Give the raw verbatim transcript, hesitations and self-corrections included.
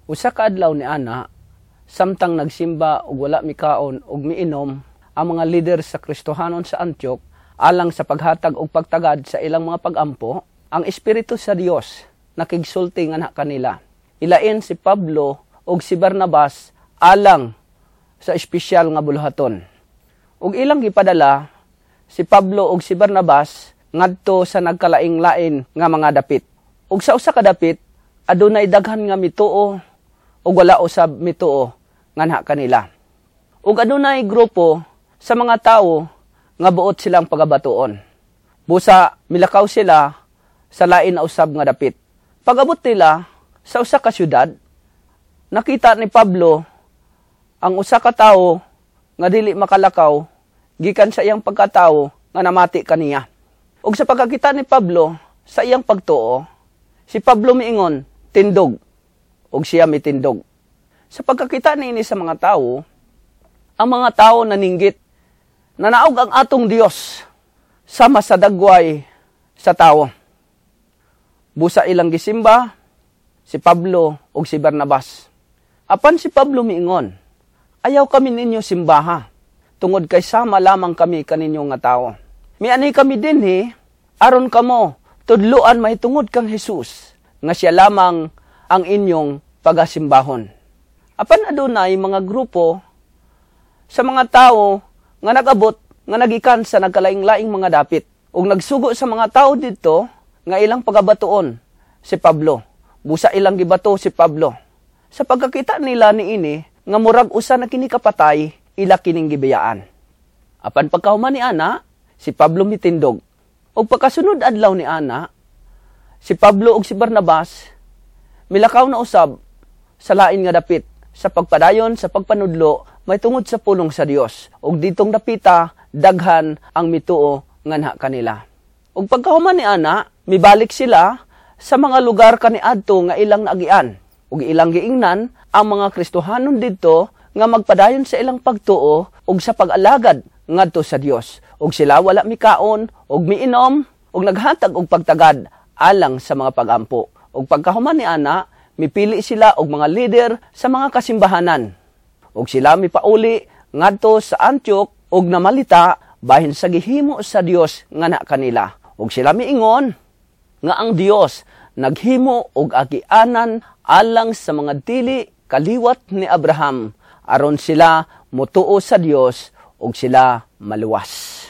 Usa ka adlaw ni ana, samtang nagsimba ug wala mikaon ug miinom ang mga lider sa Kristohanon sa Antioch alang sa paghatag og pagtagad sa ilang mga pagampo, ang Espiritu sa Dios nakigsulti nganha kanila. Ilain si Pablo ug si Barnabas alang sa espesyal nga buluhaton. Ug ilang gipadala si Pablo ug si Barnabas ngadto sa nagkalaing-lain nga mga dapit. Ug sa usa ka dapit adunay daghan nga mituo ug wala usab mituo nganha kanila. Ug adunay grupo sa mga tawo nga buot silang pagabatuon. Busa milakaw sila sa lain na usab nga dapit. Pag-abot nila sa usa ka syudad, nakita ni Pablo ang usa ka tawo nga dili makalakaw gikan sa iyang pagkatawo nga namati kaniya. Ug sa pagkakita ni Pablo sa iyang pagtuo, si Pablo miingon, "Tindog." Ug siya mitindog. Sa pagkakita niini sa mga tawo, ang mga tawo naninggit, "Nanaog ang atong Dios sama sa dagway sa tawo." Busa ilang gisimba si Pablo ug si Barnabas. Apan si Pablo miingon, "Ayaw kami ninyo simbaha, tungod kay sama lamang kami kaninyo nga tawo. Miani kami dinhi aron kamo tudluan mahitungod kang Jesus nga siya lamang ang inyong pagasimbahon." Apan adunay mga grupo sa mga tawo nga nag-abot nga nagikan sa nagkalaing-laing mga dapit ug nagsugo sa mga tawo didto nga ilang pagabatuon si Pablo. Busa ilang gibato si Pablo. Sa pagkakita nila niini nga murag usa na kini kapatay, ila kining gibiyaan. Apan pagkahuman ni ana, si Pablo mitindog. Ug pagkasunod adlaw ni ana, si Pablo ug si Barnabas milakaw na usab sa lain nga dapit sa pagpadayon sa pagpanudlo mahitungod sa pulong sa Dios. Ug ditong dapita daghan ang mituo nganha kanila. Ug pagkahuman ni ana, mibalik sila sa mga lugar kaniadto nga ilang naagian. Ug ilang giingnan ang mga Kristohanon didto nga magpadayon sa ilang pagtuo ug sa pag-alagad ngadto sa Dios. Ug sila wala mikaon ug miinom ug naghatag og pagtagad alang sa mga pagampo. Ug pagkahuman ni ana, mipili sila og mga lider sa mga kasimbahanan. Ug sila mipauli ngadto sa Antioch ug namalita bahin sa gihimo sa Dios nganha kanila. Ug sila miingon nga ang Dios naghimo og agianan alang sa mga dili kaliwat ni Abraham aron sila motuo sa Dios ug sila maluwas.